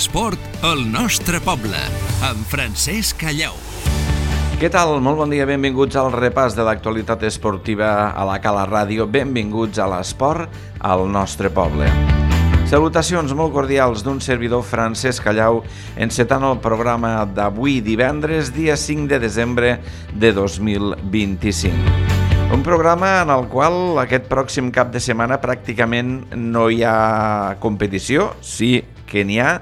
L'esport al nostre poble, amb Francesc Callau. Què tal? Molt bon dia, benvinguts al repàs de l'actualitat esportiva a la Cala Ràdio. Benvinguts a l'esport al nostre poble. Salutacions molt cordials d'un servidor, Francesc Callau, encetant el programa d'avui divendres, dia 5 de desembre de 2025. Un programa en el qual aquest pròxim cap de setmana pràcticament no hi ha competició, sí que n'hi ha.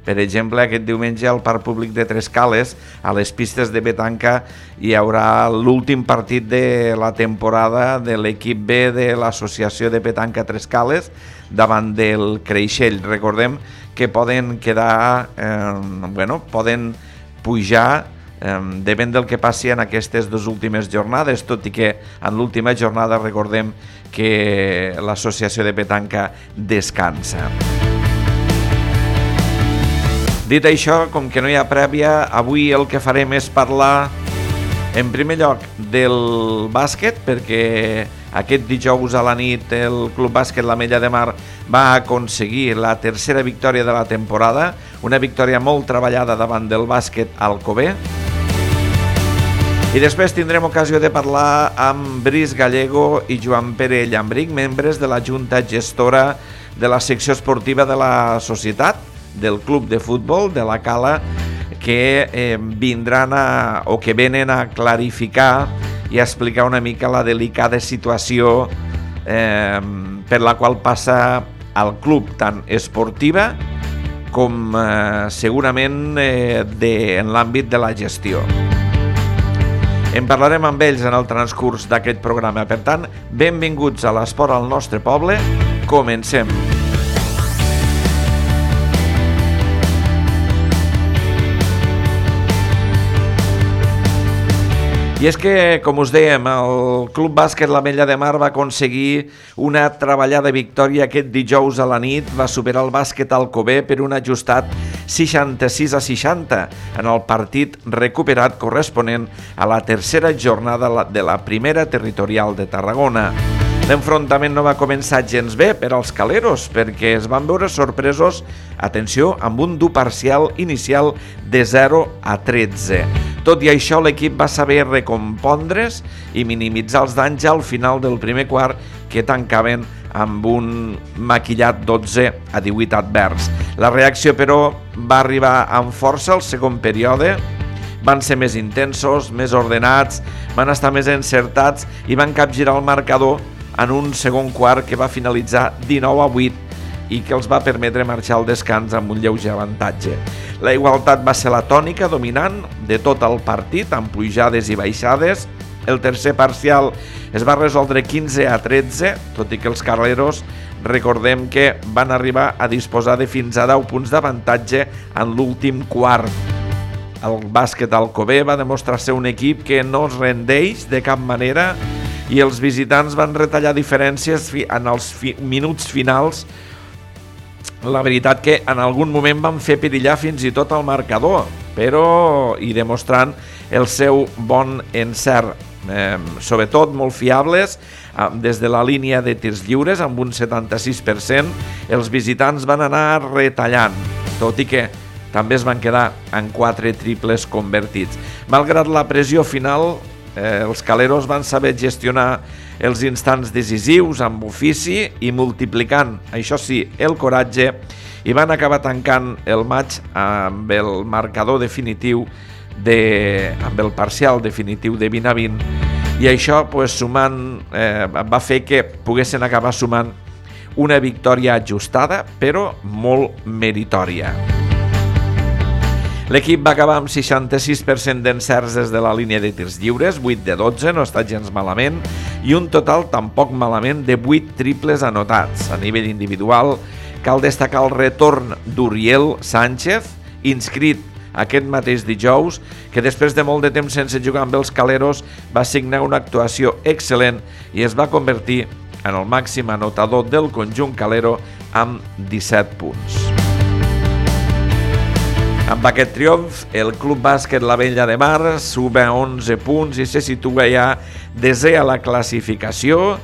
Per exemple, aquest diumenge al Parc Públic de Trescales, a les pistes de petanca, hi haurà l'últim partit de la temporada de l'equip B de l'Associació de Petanca Trescales davant del Creixell. Recordem que poden quedar, poden pujar depèn del que passi en aquestes dues últimes jornades, tot i que en l'última jornada recordem que l'Associació de Petanca descansa. Dit això, com que no hi ha prèvia, avui el que farem és parlar en primer lloc del bàsquet, perquè aquest dijous a la nit el Club Bàsquet l'Ametlla de Mar va aconseguir la tercera victòria de la temporada, una victòria molt treballada davant del bàsquet Alcover. I després tindrem ocasió de parlar amb Brice Gallego i Joan Pere Llambric, membres de la Junta Gestora de la secció esportiva de la societat, del club de futbol de la Cala, que venen a clarificar i a explicar una mica la delicada situació per la qual passa el club, tant esportiva com segurament en l'àmbit de la gestió. En parlarem amb ells en el transcurs d'aquest programa. Per tant, benvinguts a l'esport al nostre poble. Comencem. I és que, com us dèiem, el Club Bàsquet l'Ametlla de Mar va aconseguir una treballada victòria aquest dijous a la nit, va superar el bàsquet Alcover per un ajustat 66-60 en el partit recuperat corresponent a la tercera jornada de la primera territorial de Tarragona. L'enfrontament no va començar gens bé per als caleros, perquè es van veure sorpresos, atenció, amb un dur parcial inicial de 0-13. Tot i això, l'equip va saber recompondre's i minimitzar els danys al final del primer quart, que tancaven amb un maquillat 12-18 advers. La reacció, però, va arribar amb força al segon període. Van ser més intensos, més ordenats, van estar més encertats i van capgirar el marcador en un segon quart que va finalitzar 19-8 i que els va permetre marxar al descans amb un lleuger avantatge. La igualtat va ser la tònica dominant de tot el partit, amb pujades i baixades. El tercer parcial es va resoldre 15-13, tot i que els caleros, recordem que van arribar a disposar de fins a 10 punts d'avantatge en l'últim quart. El bàsquet Alcover va demostrar ser un equip que no es rendeix de cap manera i els visitants van retallar diferències en els minuts finals. La veritat que en algun moment van fer perillar fins i tot el marcador, però i demostrant el seu bon encert, sobretot molt fiables, des de la línia de tirs lliures amb un 76%, els visitants van anar retallant, tot i que també es van quedar en 4 triples convertits. Malgrat la pressió final, els caleros van saber gestionar els instants decisius amb ofici i multiplicant, això sí, el coratge, i van acabar tancant el maig amb el marcador definitiu amb el parcial definitiu de 20-20, i això sumant va fer que poguessin acabar sumant una victòria ajustada però molt meritòria. L'equip va acabar amb 66% d'encerts des de la línia de tirs lliures, 8 de 12, no està gens malament, i un total tampoc malament de 8 triples anotats. A nivell individual, cal destacar el retorn d'Uriel Sánchez, inscrit aquest mateix dijous, que després de molt de temps sense jugar amb els caleros va signar una actuació excel·lent i es va convertir en el màxim anotador del conjunt calero amb 17 punts. Amb aquest triomf, el Club Bàsquet l'Ametlla de Mar suma 11 punts i se situa ja desè a la classificació,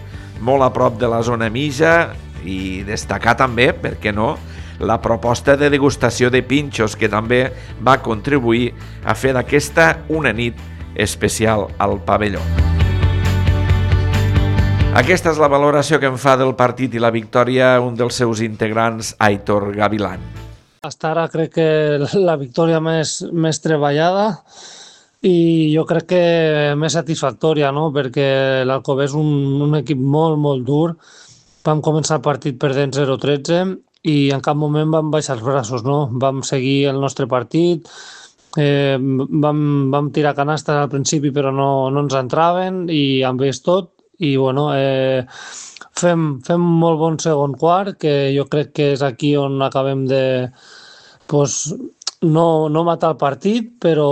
molt a prop de la zona mitja, i destacar també, per què no, la proposta de degustació de pinxos, que també va contribuir a fer d'aquesta una nit especial al pavelló. Aquesta és la valoració que en fa del partit i la victòria un dels seus integrants, Aitor Gavilán. Hasta ara crec que la victòria més treballada i jo crec que més satisfactòria, no? Perquè l'Alcover és un equip molt, molt dur. Vam començar el partit perdent 0-13 i en cap moment vam baixar els braços, no? Vam seguir el nostre partit, vam tirar canastes al principi però no ens entraven i han vist tot. I bueno, fem molt bon segon quart, que jo crec que és aquí on acabem de no matar el partit, però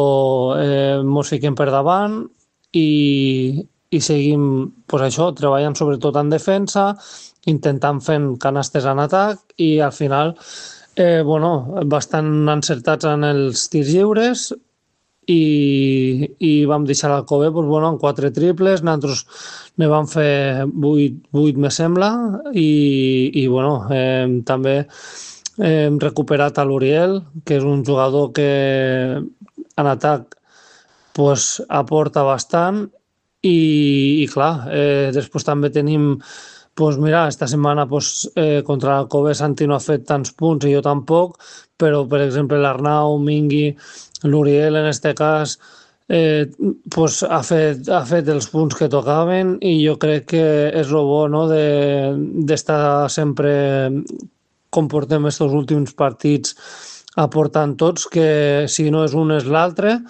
mos fiquem per davant i seguim treballant sobretot en defensa, intentant fent canastes en atac i al final bastant encertats en els tirs lliures i vam deixar l'Alcover amb 4 triples, nosaltres ne vam fer 8 me sembla i també hem recuperat a l'Uriel, que és un jugador que en atac aporta bastant i clar, després també tenim esta setmana contra l'Alcover Santi no ha fet tants punts i jo tampoc, però per exemple l'Arnau, Mingui, l'Uriel en este cas ha fet els punts que tocaven i jo crec que és el bo, no? D'estar sempre com portem estos últims partits aportant tots, que si no és un és l'altre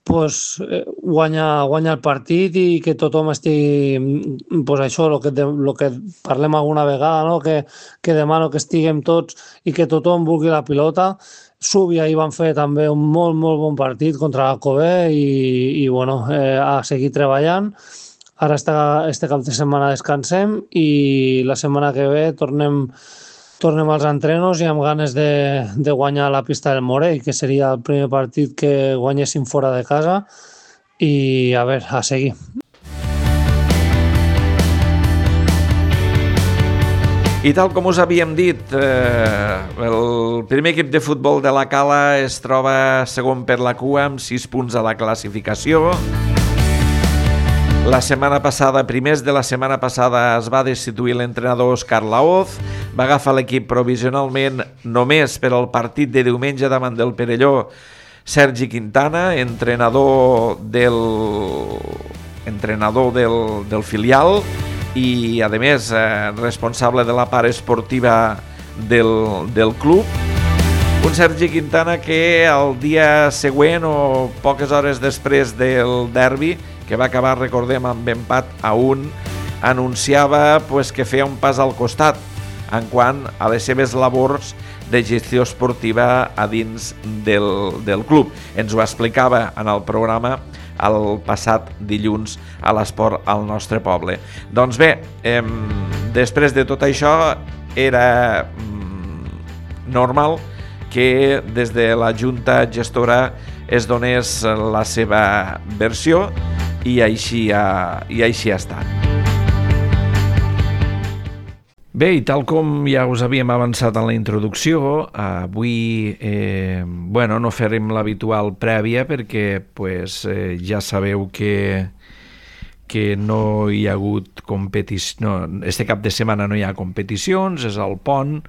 guanya el partit i que tothom estigui això, el que parlem alguna vegada, no? Que demano que estiguem tots i que tothom vulgui la pilota. Súbia ahir van fer també un molt, molt bon partit contra l'Alcover i a seguir treballant. Ara este cap de setmana descansem i la setmana que ve tornem als entrenos i amb ganes de guanyar la pista del Morell, que seria el primer partit que guanyéssim fora de casa i a seguir. I tal com us havíem dit, el primer equip de futbol de la Cala es troba segon per la cua amb 6 punts a la classificació. La setmana passada, primers de la setmana passada, es va destituir l'entrenador Òscar Laoz, va agafar l'equip provisionalment només per al partit de diumenge davant del Perelló Sergi Quintana, entrenador del filial i, a més, responsable de la part esportiva del club. Un Sergi Quintana que el dia següent o poques hores després del derbi, que va acabar, recordem, amb empat a 1, anunciava que feia un pas al costat en quant a les seves labors de gestió esportiva a dins del club. Ens ho explicava en el programa el passat dilluns a l'Esport al nostre poble. Doncs bé, després de tot això era normal que des de la Junta Gestora es donés la seva versió i així ha estat. Bé, i tal com ja us havíem avançat en la introducció, avui no farem l'habitual prèvia perquè ja sabeu que no hi ha hagut competició. Este cap de setmana no hi ha competicions, és el pont,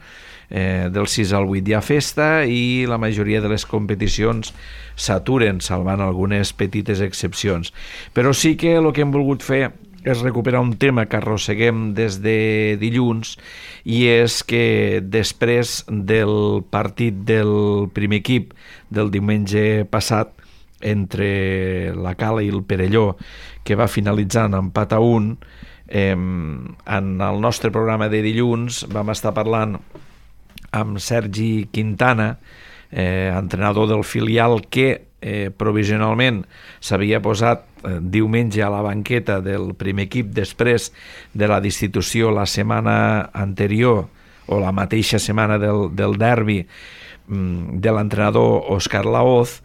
del 6 al 8 hi ha festa i la majoria de les competicions s'aturen, salvant algunes petites excepcions. Però sí que el que hem volgut fer és recuperar un tema que arrosseguem des de dilluns i és que després del partit del primer equip del diumenge passat entre la Cala i el Perelló, que va finalitzar en empat a 1, en el nostre programa de dilluns vam estar parlant amb Sergi Quintana, entrenador del filial que provisionalment s'havia posat diumenge a la banqueta del primer equip després de la destitució la setmana anterior o la mateixa setmana del derbi de l'entrenador Òscar Laoz,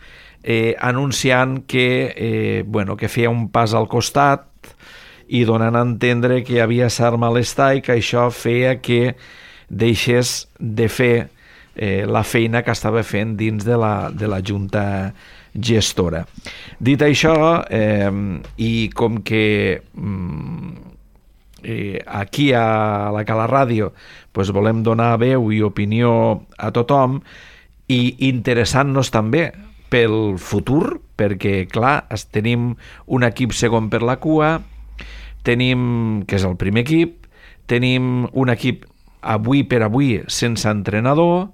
anunciant que feia un pas al costat i donant a entendre que hi havia cert malestar i que això feia que deixés de fer la feina que estava fent dins de la Junta gestora. Dit això, i com que aquí a la Cala Ràdio volem donar veu i opinió a tothom i interessant-nos també pel futur, perquè clar, tenim un equip segon per la cua, tenim, que és el primer equip, tenim un equip avui per avui sense entrenador,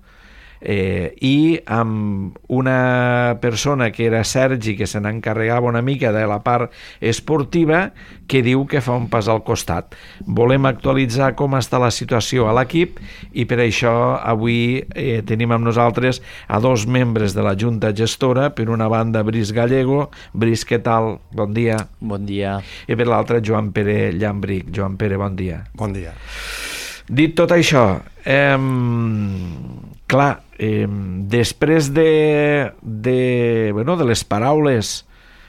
i amb una persona que era Sergi, que se n'encarregava una mica de la part esportiva, que diu que fa un pas al costat. Volem actualitzar com està la situació a l'equip i per això avui tenim amb nosaltres a dos membres de la Junta Gestora. Per una banda, Brice Gallego. Brice, què tal? Bon dia. Bon dia. I per l'altra, Joan Pere Llambric. Joan Pere, bon dia. Bon dia. Dit tot això, clar, després de les paraules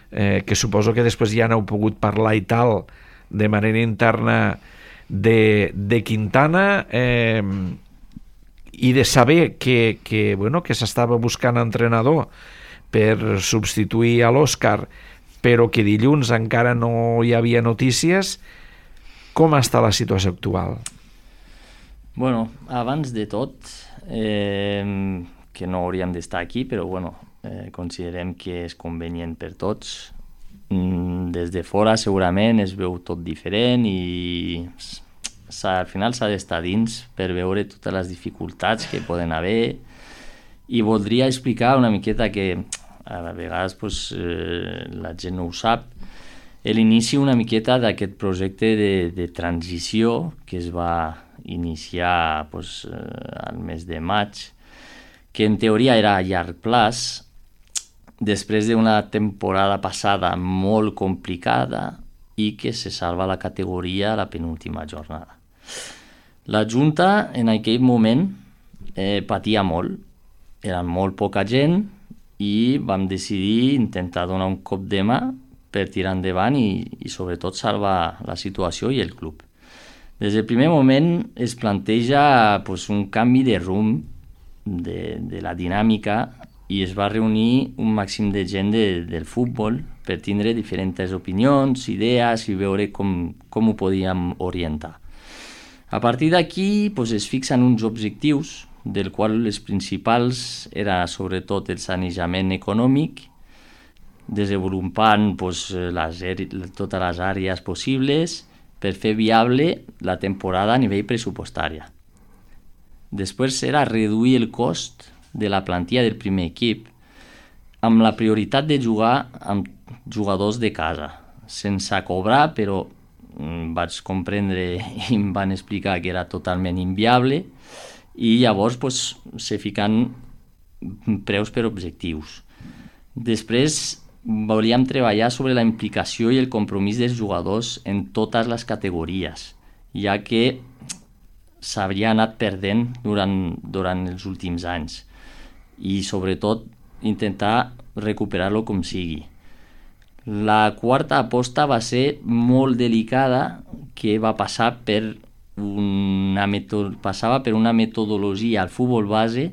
que suposo que després ja n'heu pogut parlar i tal de manera interna de Quintana, i de saber que s'estava buscant entrenador per substituir a l'Òscar, però que dilluns encara no hi havia notícies, com està la situació actual? Bueno, abans de tot, que no hauríem d'estar aquí, però considerem que és convenient per tots. Des de fora segurament es veu tot diferent i al final s'ha d'estar dins per veure totes les dificultats que poden haver, i voldria explicar una miqueta que a vegades la gent no ho sap, l'inici una miqueta d'aquest projecte de transició que es va iniciar al mes de maig, que en teoria era a llarg plaç, després d'una temporada passada molt complicada i que se salva la categoria a la penúltima jornada. La Junta en aquell moment patia molt, era molt poca gent i vam decidir intentar donar un cop de mà per tirar endavant i sobretot salvar la situació i el club. Des del primer moment es planteja un canvi de rumb de la dinàmica i es va reunir un màxim de gent del futbol per tindre diferents opinions, idees i veure com ho podíem orientar. A partir d'aquí es fixen uns objectius, del qual les principals era sobretot el sanejament econòmic, desenvolupant totes les àrees possibles per fer viable la temporada a nivell pressupostari. Després era reduir el cost de la plantilla del primer equip amb la prioritat de jugar amb jugadors de casa, sense cobrar, però vaig comprendre i em van explicar que era totalment inviable, i llavors se fiquen preus per objectius. Després volíem treballar sobre la implicació i el compromís dels jugadors en totes les categories, ja que s'havia anat perdent durant els últims anys, i sobretot intentar recuperar-lo com sigui. La quarta aposta va ser molt delicada, que va passar per una metodologia al futbol base,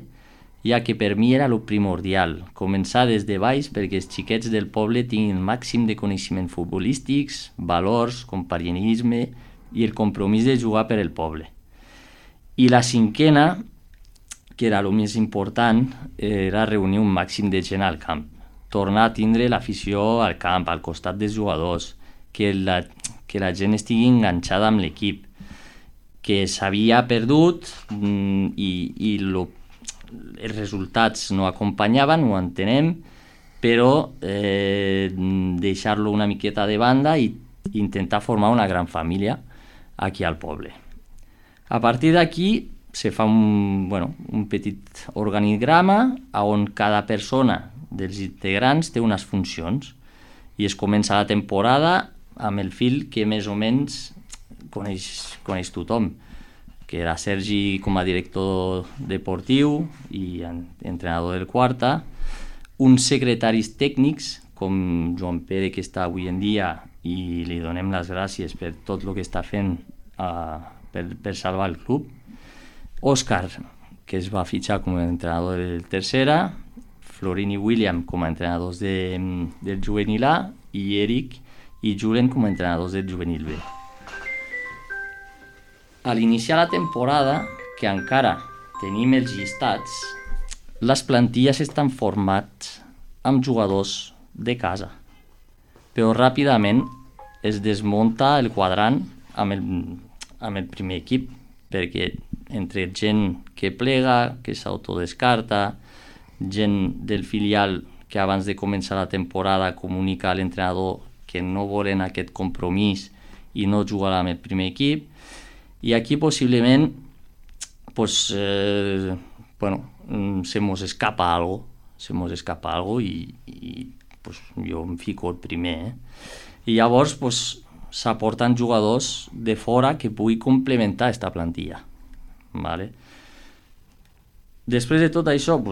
ja que per mi era el primordial, començar des de baix perquè els xiquets del poble tinguin el màxim de coneixements futbolístics, valors, compañerisme i el compromís de jugar per el poble. I la cinquena, que era el més important, era reunir un màxim de gent al camp, tornar a tindre l'afició al camp, al costat dels jugadors, que la gent estigui enganxada amb l'equip, que s'havia perdut i els resultats no acompanyaven, ho entenem, però deixar-lo una miqueta de banda i intentar formar una gran família aquí al poble. A partir d'aquí se fa un petit organigrama on cada persona dels integrants té unes funcions i es comença la temporada amb el fil que més o menys coneix tothom, que era Sergi com a director deportiu i entrenador del Quarta, uns secretaris tècnics com Joan Pere, que està avui en dia, i li donem les gràcies per tot el que està fent per salvar el club, Òscar, que es va fitxar com a entrenador del tercera, Florin i William com a entrenadors del juvenil A i Eric i Julen com a entrenadors del juvenil B. A l'iniciar la temporada, que encara tenim els llistats, les plantilles estan formats amb jugadors de casa, però ràpidament es desmunta el quadrant amb el primer equip, perquè entre gent que plega, que s'autodescarta, gent del filial que abans de començar la temporada comunica a l'entrenador que no volen aquest compromís i no jugarà amb el primer equip, i aquí possiblement se mos escapa algo i jo em fico el primer. I llavors s'aporten jugadors de fora que pugui complementar aquesta plantilla. Vale? Després de tot això,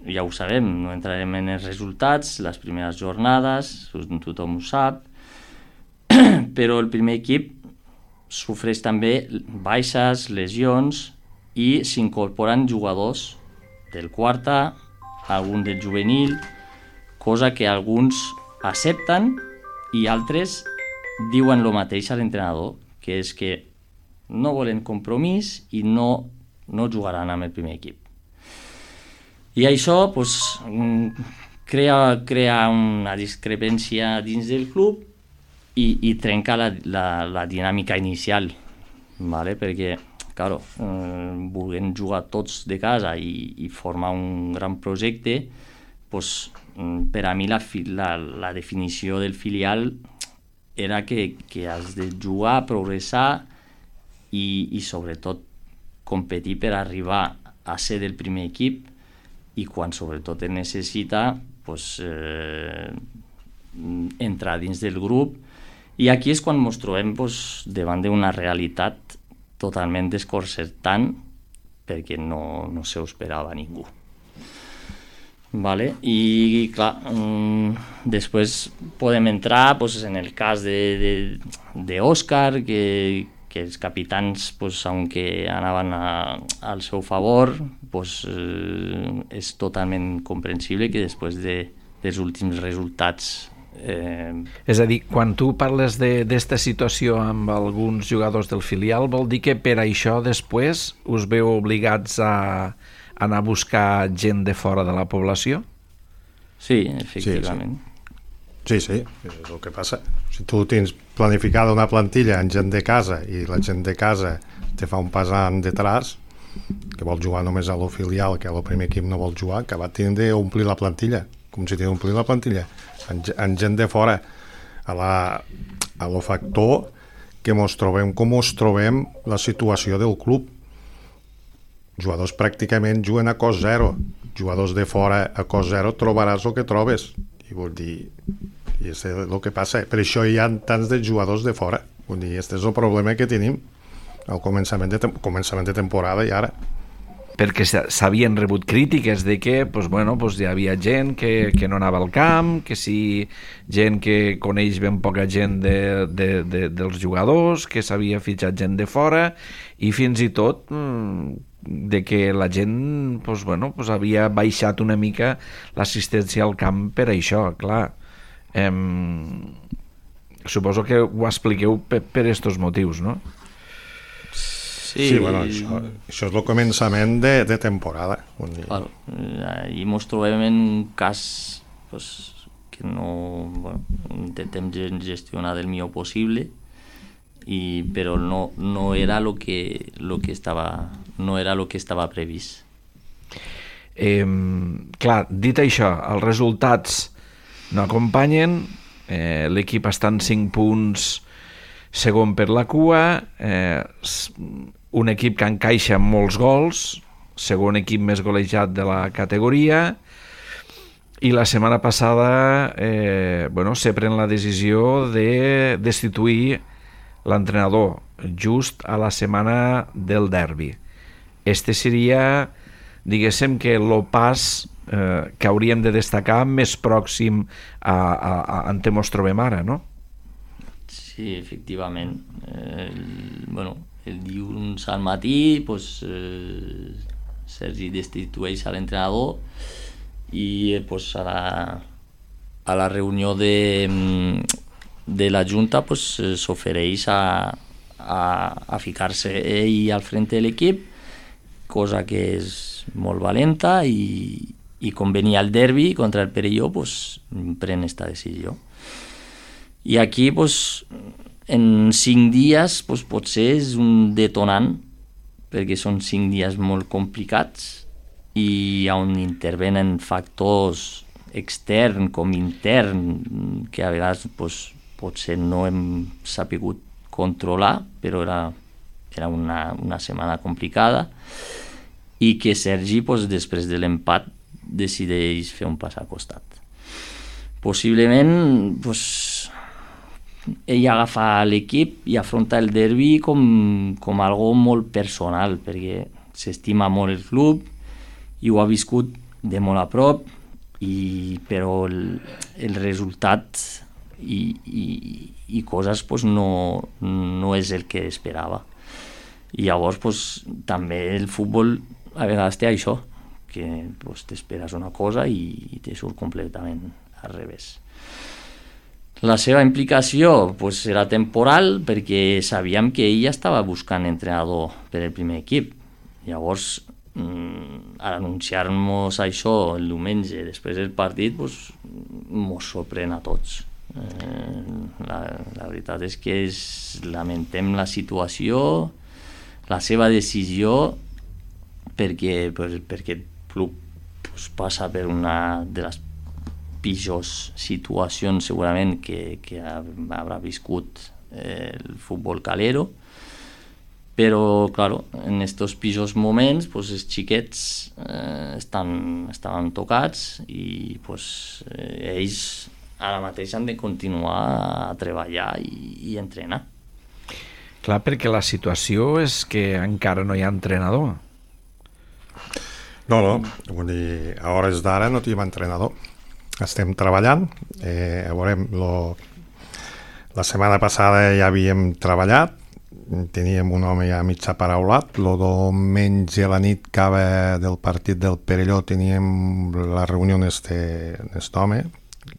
ja ho sabem, no entrarem en els resultats, les primeres jornades, tothom ho sap, però el primer equip sofreix també baixes, lesions i s'incorporen jugadors del quarta, algun del juvenil, cosa que alguns accepten i altres diuen el mateix a l'entrenador, que és que no volen compromís i no jugaran amb el primer equip. I això crea una discrepància dins del club i trenca la dinàmica inicial, ¿vale? Perquè, claro, volent jugar tots de casa i formar un gran projecte, per a mi la definició del filial era que has de jugar, progressar i sobretot competir per arribar a ser del primer equip, i quan sobretot es necessita entrar dins del grup, i aquí és quan ens trobem davant d'una realitat totalment desconcertant, perquè no s'ho esperava ningú. Vale? I clar, després podem entrar en el cas d'Òscar, que els capitans, aunque anaven al seu favor, és totalment comprensible que després dels últims resultats... És a dir, quan tu parles d'esta situació amb alguns jugadors del filial, vol dir que per això després us veu obligats a anar a buscar gent de fora de la població? Sí, efectivament. Sí, és el que passa. Si tu tens planificada una plantilla en gent de casa i la gent de casa te fa un pas detrás, que vol jugar només a lo filial, que a lo primer equip no vol jugar, que va tenir d'omplir la plantilla, com si tingués d'omplir la plantilla, en gent de fora, a lo factor que mos trobem com mos trobem la situació del club. Jugadors pràcticament juguen a cost zero, jugadors de fora a cost zero trobaràs el que trobes, i vol dir, i és el que passa. Per això hi ha tants de jugadors de fora, vull dir, aquest és el problema que tenim al començament de temporada i ara. Perquè s'havien rebut crítiques de que hi havia gent que no anava al camp, que sí, gent que coneix ben poca gent dels jugadors, que s'havia fitxat gent de fora, i fins i tot de que la gent havia baixat una mica l'assistència al camp per això, clar. Suposo que ho expliqueu per estos motius, no? Sí, bueno, això és el començament de temporada. Claro, i ens trobem en un cas que intentem gestionar del millor possible, però no era lo que estava previst. Clar, dit això, els resultats no acompanyen, l'equip està en 5 punts segon per la cua, un equip que encaixa molts gols, segon equip més golejat de la categoria, i la setmana passada se pren la decisió de destituir l'entrenador just a la setmana del derbi. Este seria, diguéssim, que el pas que hauríem de destacar més pròxim a on ens trobem ara, no? Sí, efectivament. El dilluns al matí Sergi destitueix a l'entrenador i pues, a la reunió de la Junta pues, s'ofereix a ficar-se ell al frente de l'equip, cosa que és molt valenta i com venia el derbi contra el Perelló pues, pren esta decisió. I aquí pues, en 5 dies pues, potser és un detonant perquè són 5 dies molt complicats i on intervenen factors extern com intern que a vegades pues, potser no hem sapigut controlar, però era una setmana complicada i que Sergi pues, després de l'empat decideix fer un pas al costat. Possiblement pues, ell agafa l'equip i afronta el derbi com algo molt personal perquè s'estima molt el club i ho ha viscut de molt a prop però el resultat i coses pues, no és el que esperava i llavors pues, també el futbol a vegades té això que pues, t'esperes una cosa i te surt completament al revés. La seva implicació pues, era temporal perquè sabíem que ell estava buscant entrenador per el primer equip. Llavors, al anunciar-nos això el diumenge després del partit, pues, mos sorprèn a tots. La veritat és que lamentem la situació, la seva decisió, perquè el club pues, passa per una de les pitjors situacions segurament que haurà viscut el futbol calero, però claro, en estos pitjors moments pues, els xiquets estaven tocats i pues, ells ara mateix han de continuar a treballar i entrenar. Clar, perquè la situació és que encara no hi ha entrenador. No, vull dir, a hores d'ara no tenim entrenador. Estem treballant, veurem, la setmana passada ja havíem treballat, teníem un home ja mig aparaulat, el diumenge a la nit acaba del partit del Perelló teníem la reunió d'est home,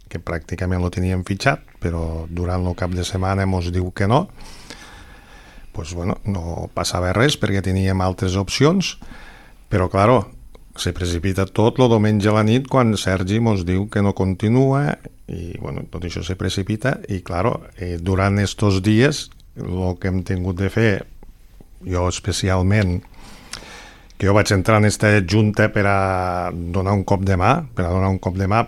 que pràcticament lo teníem fitxat, però durant el cap de setmana mos diu que no, pues bueno, no passava res perquè teníem altres opcions, però claro, se precipita tot el diumenge a la nit quan Sergi mos diu que no continua i bueno, tot això se precipita i claro, durant estos dies el que hem tingut de fer jo especialment que jo vaig entrar en aquesta junta per a donar un cop de mà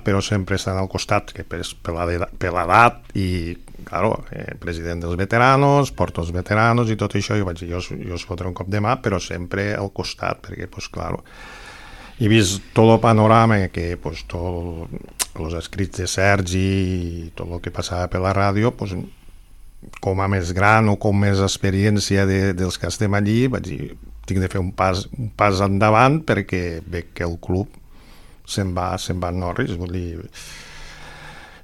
però sempre estan al costat que per l'edat i claro, president dels veteranos, porto els veteranos i tot això, jo vaig dir, jo us fotré un cop de mà però sempre al costat perquè pues claro, he vist tot el panorama que pues, tots els escrits de Sergi i tot el que passava per la ràdio pues, com a més gran o com més experiència dels que estem allí vaig dir, tinc de fer un pas endavant perquè veig que el club se'n va en Norris vull dir.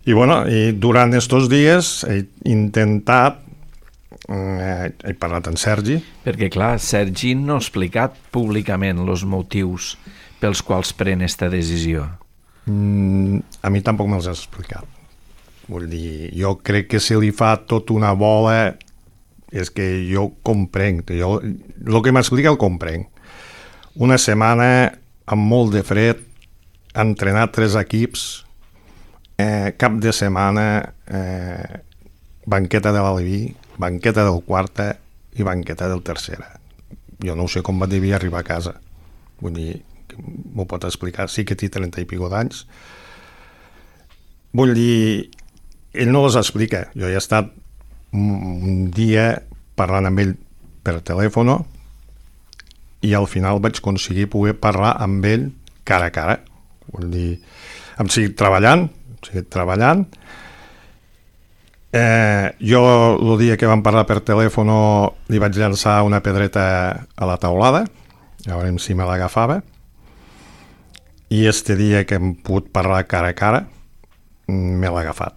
I bueno, durant estos dies he intentat he parlat amb Sergi perquè clar, Sergi no ha explicat públicament els motius pels quals pren aquesta decisió. A mi tampoc me'ls has explicat. Vull dir, jo crec que si li fa tot una bola és que jo comprenc. El que m'explica el comprenc. Una setmana amb molt de fred, entrenat 3 equips, cap de setmana banqueta de l'Aleví, banqueta del quarta i banqueta del tercera. Jo no sé com devia arribar a casa. Vull dir, m'ho pot explicar, sí que té 30 i pico d'anys. Vull dir, ell no les explica. Jo he estat un dia parlant amb ell per telèfon i al final vaig aconseguir poder parlar amb ell cara a cara. Vull dir, hem seguit treballant. Jo el dia que vam parlar per telèfon li vaig llançar una pedreta a la taulada, a veure si me l'agafava. I este dia que hem pogut parlar cara a cara me l'ha agafat.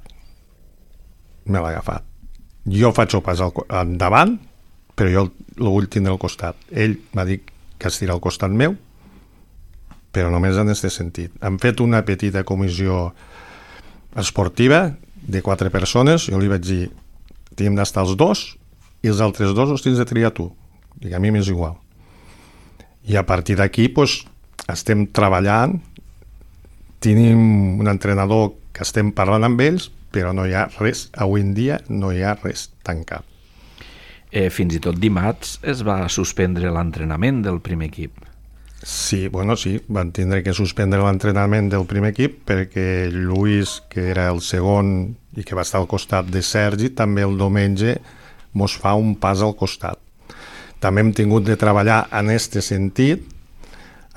Jo faig el pas endavant, però jo el vull tindre al costat. Ell m'ha dit que estira al costat meu però només en aquest sentit. Hem fet una petita comissió esportiva de 4 persones, jo li vaig dir, tenim d'estar els 2 i els altres 2 els tens de triar tu. Dic, a mi m'és igual. I a partir d'aquí estem treballant, tenim un entrenador que estem parlant amb ells, però no hi ha res, avui en dia no hi ha res tancat. Fins i tot dimarts es va suspendre l'entrenament del primer equip. Sí, van tindre que suspendre l'entrenament del primer equip perquè Lluís, que era el segon i que va estar al costat de Sergi, també el diumenge mos fa un pas al costat. També hem tingut de treballar en aquest sentit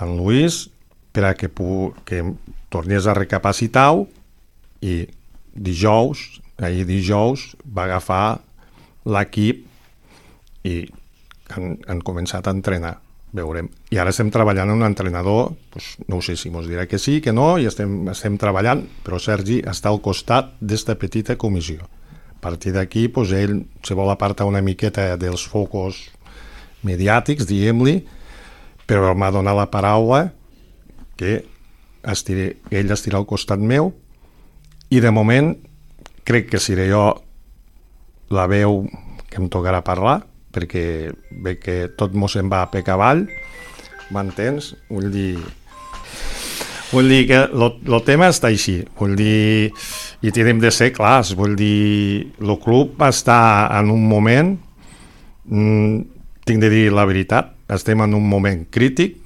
en Lluís per a que tornés a recapacitar-ho i ahir dijous va agafar l'equip i han començat a entrenar, veurem. I ara estem treballant amb un entrenador, no sé si mos dirà que sí, que no, i estem treballant, però Sergi està al costat d'esta petita comissió. A partir d'aquí, ell se vol apartar una miqueta dels focus mediàtics, diguem-li, però m'ha donat la paraula que ell estirà al costat meu i de moment crec que seré jo la veu que em tocarà parlar perquè veig que tot mos se'n va a pecar avall, m'entens? Vull dir que el tema està així, i tenim de ser clars, el club està en un moment, tinc de dir la veritat, estem en un moment crític,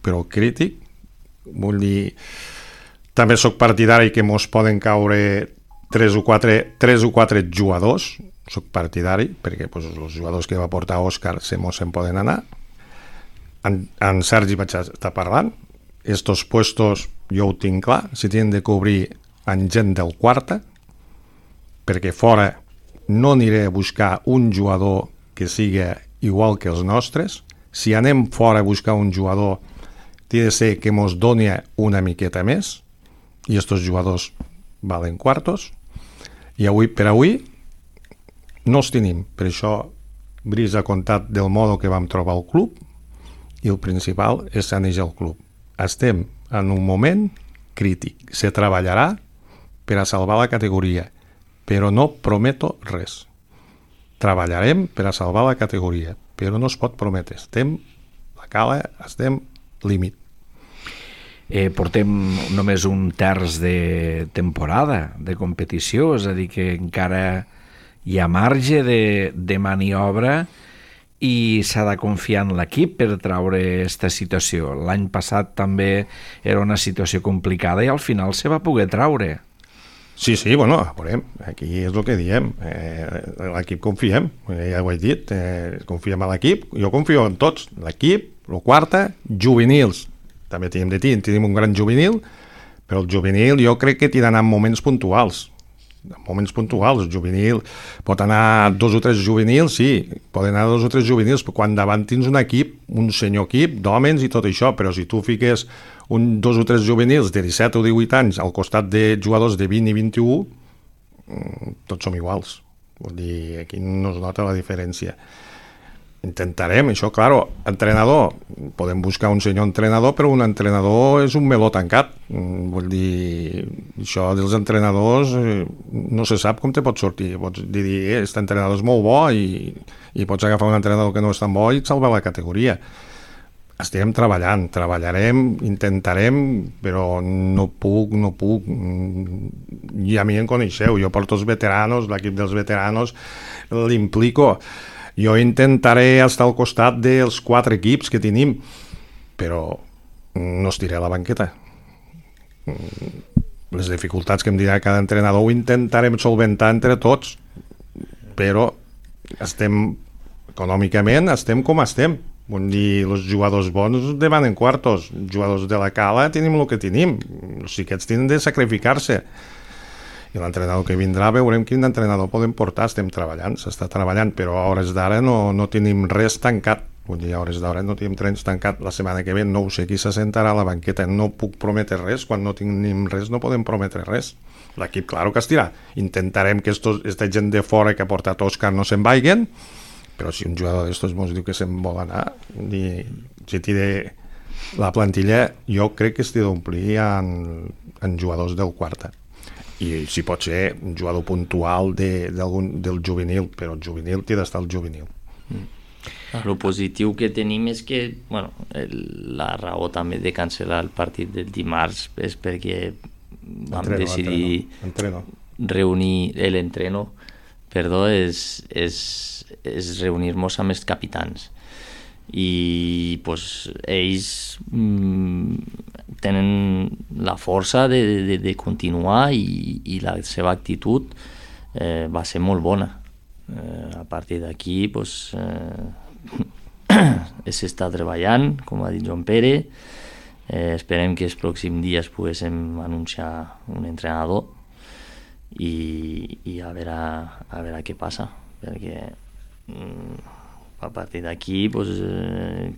però crític, també sóc partidari que mos poden caure 3 o 4 jugadors, soc partidari, perquè els jugadors que va portar Òscar se'n poden anar. En Sergi vaig estar parlant, estos puestos jo ho tinc clar, si tenen de cobrir en gent del quarta, perquè fora no aniré a buscar un jugador que siga igual que els nostres. Si anem fora a buscar un jugador, té de ser que mos doni una miqueta més, i estos jugadors valen quartos, i per avui no els tenim. Per això Brice ha contat del modo que vam trobar el club i el principal és sanejar el club. Estem en un moment crític. Se treballarà per a salvar la categoria, però no prometo res. Treballarem per a salvar la categoria, però no es pot prometre. Estem límit. Portem només un terç de temporada de competició, és a dir que encara hi ha marge de maniobra i s'ha de confiar en l'equip per treure aquesta situació. L'any passat també era una situació complicada i al final se va poder treure. Sí, veurem, aquí és el que diem, l'equip confiem, ja ho he dit, confiem en l'equip, jo confio en tots, l'equip, el quarta, juvenils, també tenim un gran juvenil, però el juvenil jo crec que t'hi d'anar en moments puntuals, el juvenil pot anar 2 o 3 juvenils, sí, poden anar 2 o 3 juvenils, però quan davant tens un equip, un senyor equip d'homes i tot això, però si tu fiques 2 o 3 juvenils de 17 o 18 anys al costat de jugadors de 20 i 21, tots som iguals. Vull dir, aquí no es nota la diferència. Intentarem, això, claro, entrenador, podem buscar un senyor entrenador, però un entrenador és un meló tancat. Vull dir, això dels entrenadors no se sap com te pot sortir. Pots dir, aquest entrenador és molt bo i pots agafar un entrenador que no és tan bo i et salva la categoria. Estem treballarem, intentarem, però no puc. I a mi em coneixeu, jo porto els veteranos, l'equip dels veteranos l'implico. Jo intentaré estar al costat dels 4 equips que tenim, però no estiré a la banqueta. Les dificultats que em dirà cada entrenador ho intentarem solventar entre tots, però econòmicament estem com estem. Vull dir, els jugadors bons demanen quartos, els jugadors de la cala tenim el que tenim, els xiquets tenen de sacrificar-se. I l'entrenador que vindrà veurem quin entrenador podem portar. Estem treballant, s'està treballant, però a hores d'ara no tenim res tancat. Vull dir, a hores d'ara no tenim res tancat. La setmana que ve no ho sé qui s'assentarà a la banqueta. No puc prometre res, quan no tenim res no podem prometre res. L'equip, claro que estirà. Intentarem que aquesta gent de fora que ha portat Òscar no se'n vagin, però si un jugador d'estos mos diu que se'n vol anar, si t'hi de La plantilla jo crec que es té d'omplir en jugadors del quarta. I si pot ser un jugador puntual del juvenil, però el juvenil té d'estar el juvenil. El positiu que tenim és que la raó també de cancel·lar el partit del dimarts és perquè vam decidir reunir l'entreno, és reunir-nos amb els capitans i ells tenen la força de continuar i la seva actitud va ser molt bona. A partir d'aquí s'està treballant, com ha dit Joan Pere. Esperem que els pròxims dies poguéssim anunciar un entrenador i a veure què passa, perquè a partir d'aquí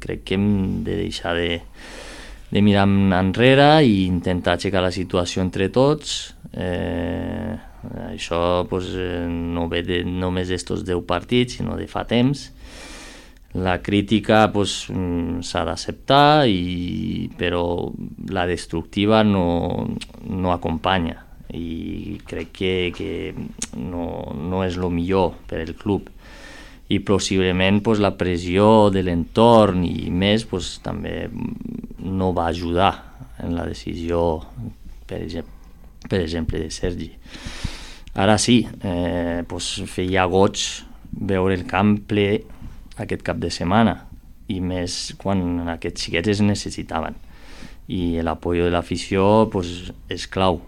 crec que hem de deixar de mirar enrere i intentar aixecar la situació entre tots. Això no ve només d'estos 10 partits, sinó de fa temps. La crítica s'ha d'acceptar, però la destructiva no acompanya i crec que no és el millor per al club. I possiblement la pressió de l'entorn i més també no va ajudar en la decisió, per exemple, de Sergi. Ara sí, feia goig veure el camp ple aquest cap de setmana, i més quan aquests xiquets es necessitaven, i l'apoyo de l'afició és clau.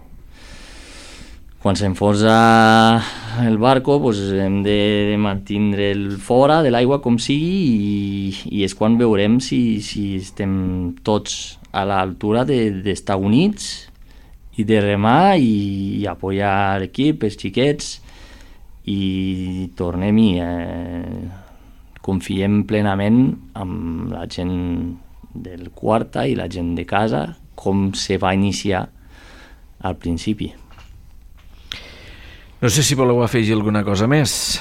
Quan s'enfonsa el barco hem de mantindre'l fora de l'aigua com sigui, i és quan veurem si estem tots a l'altura d'estar units i de remar i apoyar l'equip, els xiquets, i tornem-hi. Confiem plenament amb la gent del quarta i la gent de casa, com se va iniciar al principi. No sé si voleu afegir alguna cosa més.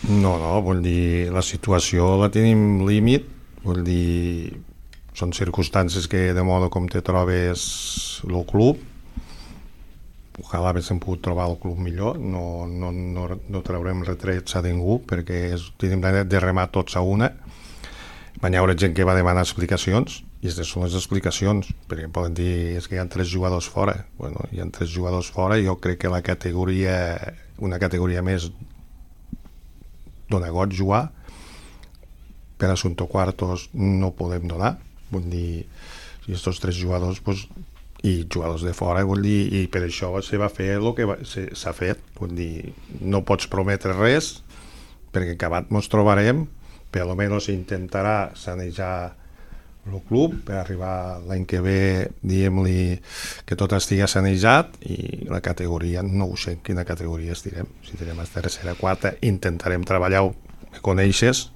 No, vull dir, la situació la tenim límit, vull dir, són circumstàncies que de modo com te trobes el club. Ojalà haguéssim pogut trobar el club millor, no traurem retrets a ningú, perquè tenim de remar tots a una. Hi haurà gent que va demanar explicacions, i aquestes són les explicacions, perquè poden dir és que hi ha 3 jugadors fora. Bueno, hi ha 3 jugadors fora, i jo crec que una categoria més dona goig jugar. Per assumpto quartos no podem donar, vull dir, i aquests 3 jugadors i jugadors de fora, vull dir, i per això se va fer el que s'ha fet, vull dir, no pots prometre res, perquè acabat ens trobarem, per almenys intentarà sanejar el club per arribar l'any que ve, diguem-li, que tot estigui sanejat, i la categoria, no ho sé quina categoria estirem, si estirem a tercera, quarta, intentarem treballar, me coneixes,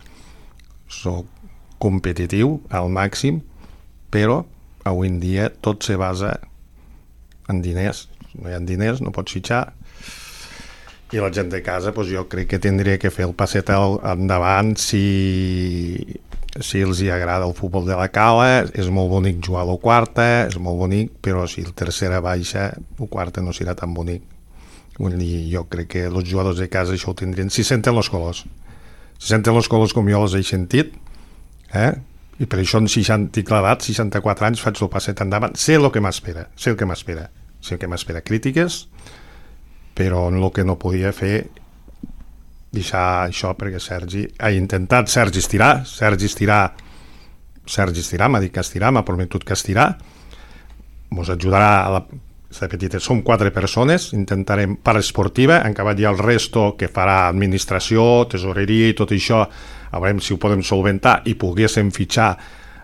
soc competitiu al màxim, però avui en dia tot se basa en diners. No hi ha diners, no pots fitxar, i la gent de casa jo crec que tindria que fer el passet endavant si els hi agrada el futbol de la cala. És molt bonic jugar a la quarta, és molt bonic, però si el tercera baixa, el quarta no serà tan bonic. Vull dir, jo crec que els jugadors de casa això ho tindrien, si senten els colors com jo els he sentit, i per això en 60 clavat, 64 anys, faig el passet endavant, sé el que m'espera, crítiques, però el que no podia fer deixar això, perquè Sergi ha intentat, Sergi estirar, m'ha dit que estirar, m'ha prometut que estirar, ens ajudarà a la petita, som 4 persones, intentarem part esportiva, han acabat ja el resto que farà administració, tesoreria i tot això, a veure si ho podem solventar i poguéssim fitxar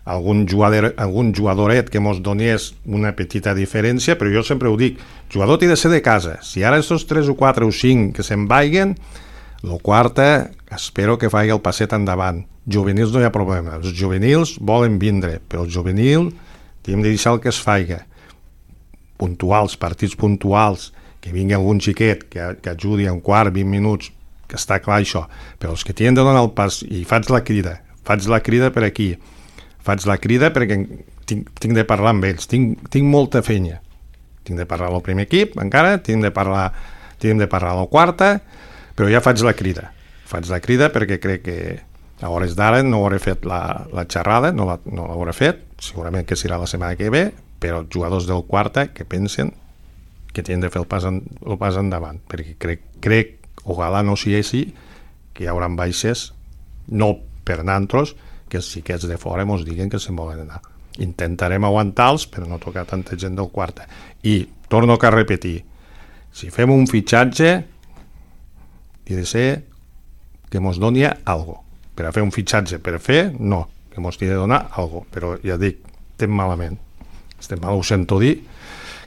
algun jugadoret que ens donés una petita diferència, però jo sempre ho dic, jugador té de ser de casa, si ara aquests 3 o 4 o 5 que se'n vaiguen, el quarta espero que faci el passet endavant. Juvenils no hi ha problema, els juvenils volen vindre, però el juvenil hem de deixar el que es faci, puntuals, partits puntuals, que vingui algun xiquet que ajudi un quart, 20 minuts, que està clar això, però els que tenen de donar el pas, i faig la crida per aquí, faig la crida perquè tinc de parlar amb ells, tinc molta feina. Tinc de parlar al primer equip, encara, tinc de parlar a la quarta, però ja faig la crida. Faig la crida perquè crec que a hores d'ara no hauré fet la xerrada, no l'hauré fet, segurament que serà la setmana que ve, però els jugadors del quarta que pensen que tenen de fer el pas endavant, perquè crec, ojalà no sigui així, que hi haurà baixes, no per nantros, que els xiquets de fora ens diguen que se'n volen anar. Intentarem aguantar-los, però no tocar tanta gent del quarta. I torno a repetir, si fem un fitxatge, ha de ser que mos doni alguna cosa. Per a fer un fitxatge per fer, no, que mos hagi de donar alguna cosa. Però ja dic, estem malament. Estem mal, ho sento dir,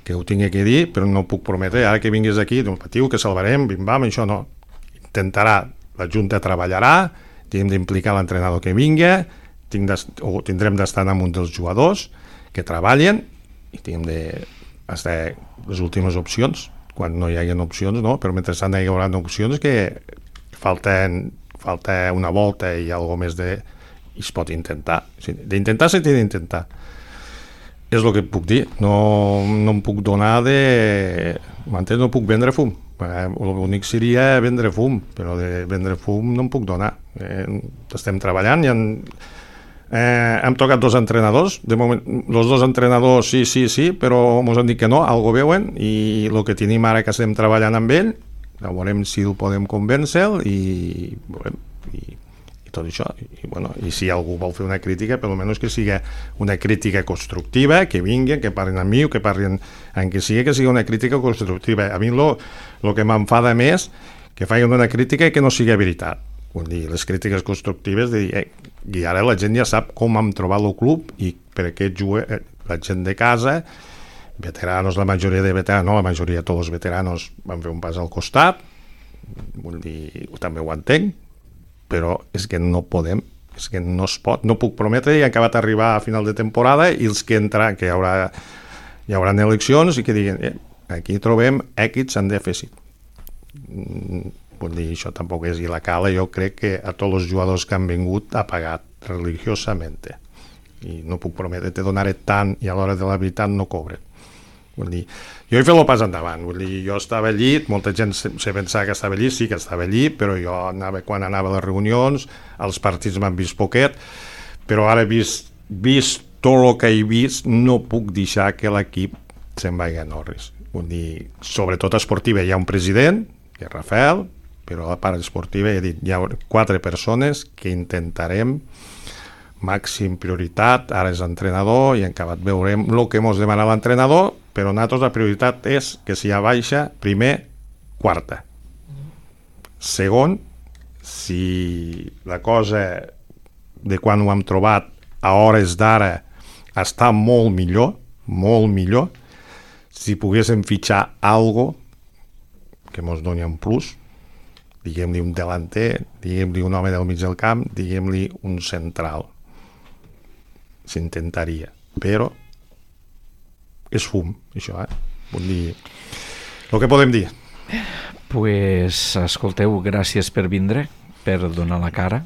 que ho tinc que dir, però no puc prometre, ara que vinguis aquí, no patiu, que salvarem, bim-bam, això no. Intentarà, la Junta treballarà, hem d'implicar l'entrenador que vingui, tindrem d'estar amb un dels jugadors que treballen i tindrem d'estar les últimes opcions, quan no hi hagi opcions, no? Però mentrestant hi haurà opcions que falta una volta i alguna més i es pot intentar. D'intentar s'ha d'intentar. És el que puc dir. No em puc donar m'entens? No puc vendre fum. L'únic seria vendre fum, però de vendre fum no em puc donar. Estem treballant i hem tocat 2 entrenadors. De moment, els 2 entrenadors sí, però ens han dit que no, algo veuen, i el que tenim ara que estem treballant amb ell, veurem si ho podem convèncer i tot això. I si algú vol fer una crítica, per almenys que sigui una crítica constructiva, que vinguin, que parlin amb mi, que parlin en que sigui una crítica constructiva. A mi el que m'enfada més que facin una crítica i que no sigui veritat. Vull dir, les crítiques constructives de dir, i ara la gent ja sap com hem trobat el club i per què la gent de casa, veteranos, la majoria de veteranos, no la majoria, tots els veteranos van fer un pas al costat, vull dir, també ho entenc, però és que no podem, és que no es pot, no puc prometre, i he acabat d'arribar a final de temporada i els que entran, que hi haurà eleccions i que diguen, aquí trobem èxits en dèficit. Vull dir, això tampoc és il·legal. Jo crec que a tots els jugadors que han vingut ha pagat religiosament i no puc prometre, te donaré tant i a l'hora de la veritat no cobren. Vull dir, jo he fet el pas endavant, vull dir, jo estava allí, molta gent se pensava que estava allí, sí que estava allí, però jo quan anava a les reunions, als partits m'han vist poquet, però ara vist tot el que he vist, no puc deixar que l'equip se'n vagi a Norris. Vull dir, sobretot esportiva, hi ha un president, que és Rafael, però a la part esportiva he dit, hi ha 4 persones que intentarem màxim prioritat, ara és entrenador i en acabat veurem el que ens demana l'entrenador, però nosaltres la prioritat és que si hi ha baixa, primer, quarta. Segon, si la cosa de quan ho hem trobat a hores d'ara està molt millor, si poguéssim fitxar algo que ens doni un plus, diguem-li un delanter, diguem-li un home del mig del camp, diguem-li un central, s'intentaria, però és fum, això, Vull dir, el que podem dir. Pues, escolteu, gràcies per vindre, per donar la cara.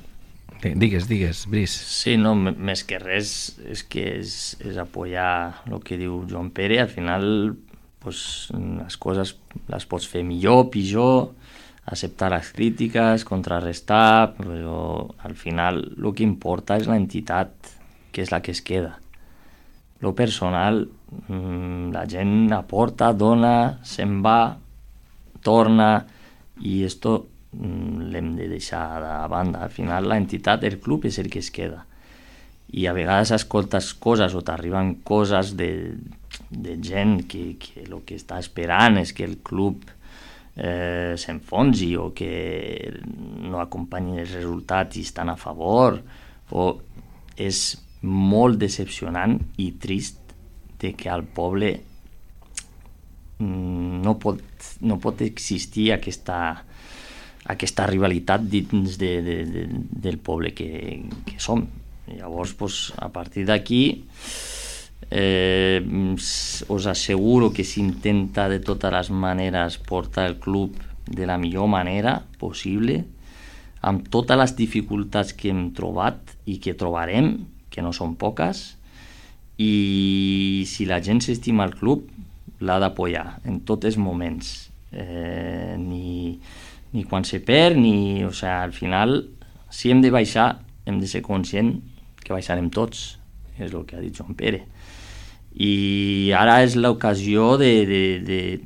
Digues, Brice. Sí, no, més que res és que és apoyar el que diu Joan Pere. Al final, pues, les coses les pots fer millor, pitjor, acceptar les crítiques, contrarrestar, però al final el que importa és l'entitat, que és la que es queda. Lo personal, la gent aporta, dona, se'n va, torna, i esto l'hem de deixar de banda. Al final l'entitat, el club, és el que es queda. I a vegades escoltes coses o t'arriben coses de gent que el que està esperant és que el club s'enfonsi o que no acompanyin els resultats i estan a favor, o és molt decepcionant i trist de que al poble no pot existir aquesta rivalitat dins del poble que som. Llavors, pues, a partir d'aquí us asseguro que s'intenta de totes les maneres portar el club de la millor manera possible, amb totes les dificultats que hem trobat i que trobarem, que no són poques, i si la gent s'estima al club l'ha d'apoyar en tots els moments, ni quan se perd o sigui, al final si hem de baixar hem de ser conscient que baixarem tots, és el que ha dit Joan Pere, i ara és l'ocasió de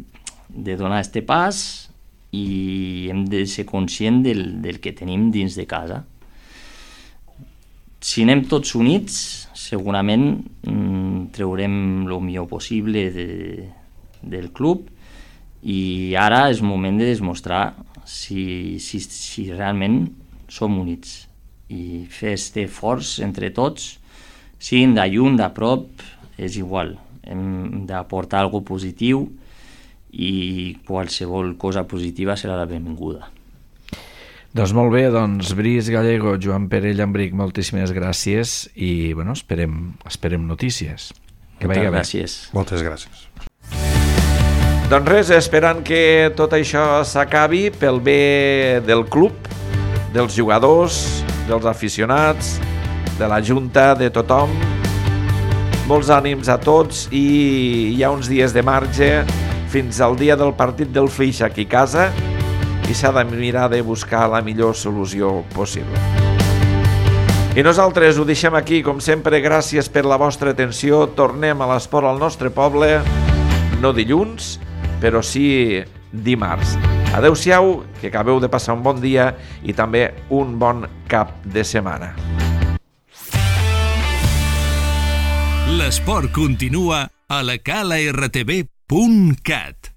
donar este pas i hem de ser conscient del que tenim dins de casa. Si anem tots units, segurament traurem el millor possible del club, i ara és moment de demostrar si realment som units i fer este esforç entre tots, siguin de lluny, de prop, és igual. Hem d'aportar alguna cosa positiu i qualsevol cosa positiva serà la benvinguda. Doncs molt bé, Brice Gallego, Joan Pere Llambric, moltíssimes gràcies i bueno, esperem notícies. Que vagi bé. Gràcies. Moltes gràcies. Doncs res, esperant que tot això s'acabi pel bé del club, dels jugadors, dels aficionats, de la junta, de tothom. Molts ànims a tots i hi ha uns dies de marge fins al dia del partit del Flix aquí a casa i s'ha de mirar de buscar la millor solució possible. I nosaltres ho deixem aquí, com sempre, gràcies per la vostra atenció. Tornem a l'esport al nostre poble, no dilluns, però sí dimarts. Adeu-siau, que acabeu de passar un bon dia i també un bon cap de setmana. L'esport continua a la calartv.cat.